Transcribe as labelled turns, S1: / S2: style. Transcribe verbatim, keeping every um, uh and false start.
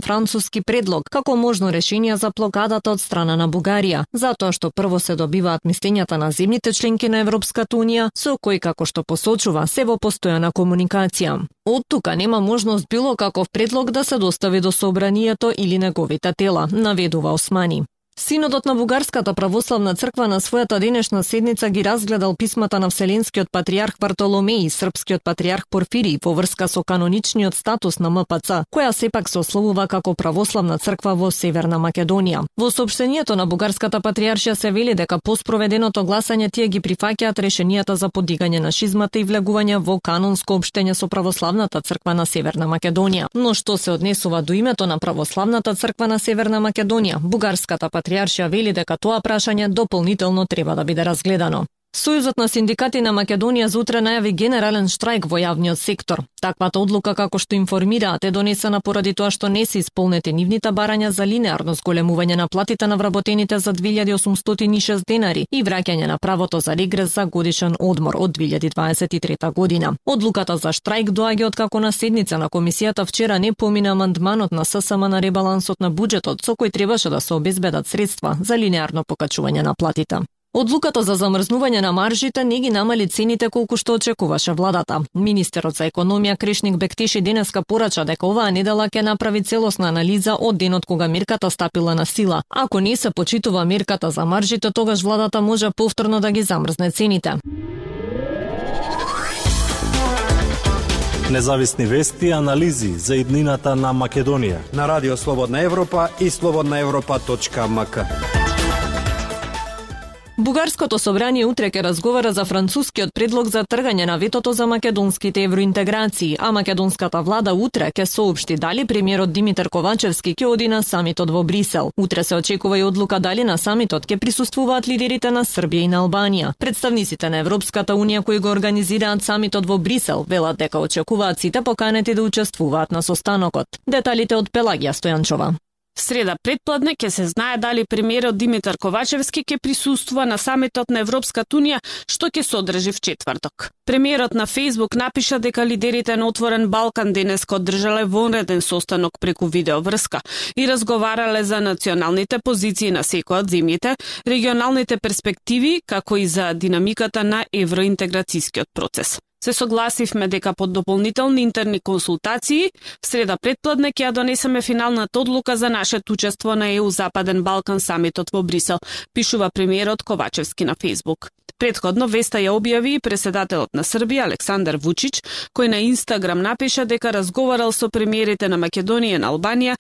S1: француски предлог како можно решение за блокадата од страна на Бугарија, затоа што прво се добиваат мислењата на земјите членки на Европската унија, со кои, како што посочува, се во постојана комуникација. Од тука нема можност било каков предлог да се достави до собранието или неговите тела, наведува Османи. Синодот на Бугарската православна црква на својата денешна седница ги разгледал писмата на Вселенскиот патријарх Вартоломеј и српскиот патријарх Порфирий во врска со каноничниот статус на М П Ц, која сепак се ословува како православна црква во Северна Македонија. Во соопштението на Бугарската патријаршија се вели дека по спроведеното гласање тие ги прифаќаат решенијата за подигање на шизмата и влегување во канонско општење со православната црква на Северна Македонија. Но што се однесува до името на православната црква на Северна Македонија, Бугарската патријаршија Патријаршија вели дека тоа прашање дополнително треба да биде разгледано. Сојузот на синдикати на Македонија за утре најави генерален штрајк во јавниот сектор. Таквата одлука, како што информираат, е донесена поради тоа што не се исполнети нивните барања за линеарно зголемување на платите на вработените за две илјади осумстотини и шест денари и враќање на правото за регрес за годишен одмор од две илјади дваесет и трета година. Одлуката за штрајк доаѓа од како на седница на комисијата вчера не помина амандманот на С С М на ребалансот на буџетот, со кој требаше да се обезбедат средства за линеарно покачување на платите. Одлуката за замрзнување на маржите не ги намали цените колку што очекуваше владата. Министерот за економија Крешник Бектеши денеска порача дека оваа недела ќе направи целосна анализа од денот кога мерката стапила на сила. Ако не се почитува мерката за маржите, тогаш владата може повторно да ги замрзне цените.
S2: Независни вести и анализи за иднината на Македонија
S3: на Радио Слободна Европа и слободна европа точка м к.
S1: Бугарското собрание утре ќе разговара за францускиот предлог за тргање на ветото за македонските евроинтеграции, а македонската влада утре ќе соопшти дали премиерот Димитар Ковачевски ќе оди на самитот во Брисел. Утре се очекува и одлука дали на самитот ќе присуствуваат лидерите на Србија и на Албанија. Представниците на Европската унија кои го организираат самитот во Брисел велат дека очекуваат сите поканети да учествуваат на состанокот. Деталите од Пелагија Стојанчова.
S4: Среда предпладне ќе се знае дали премиерот Димитар Ковачевски ќе присуствува на самитот на Европската унија, што ќе се одржи в четврток. Премиерот на Фејсбук напиша дека лидерите на Отворен Балкан денеска одржале вонреден состанок преку видеоврска и разговарале за националните позиции на секоја од земјите, регионалните перспективи, како и за динамиката на евроинтеграцијскиот процес. Се согласивме дека под дополнителни интерни консултации в среда предпладне ќе ја донесеме финалната одлука за нашето учество на Е У Западен Балкан самитот во Брисел, пишува премиерот Ковачевски на Фејсбук. Предходно веста ја објави и преседателот на Србија Александар Вучич, кој на Инстаграм напиша дека разговарал со премиерите на Македонија и на Албанија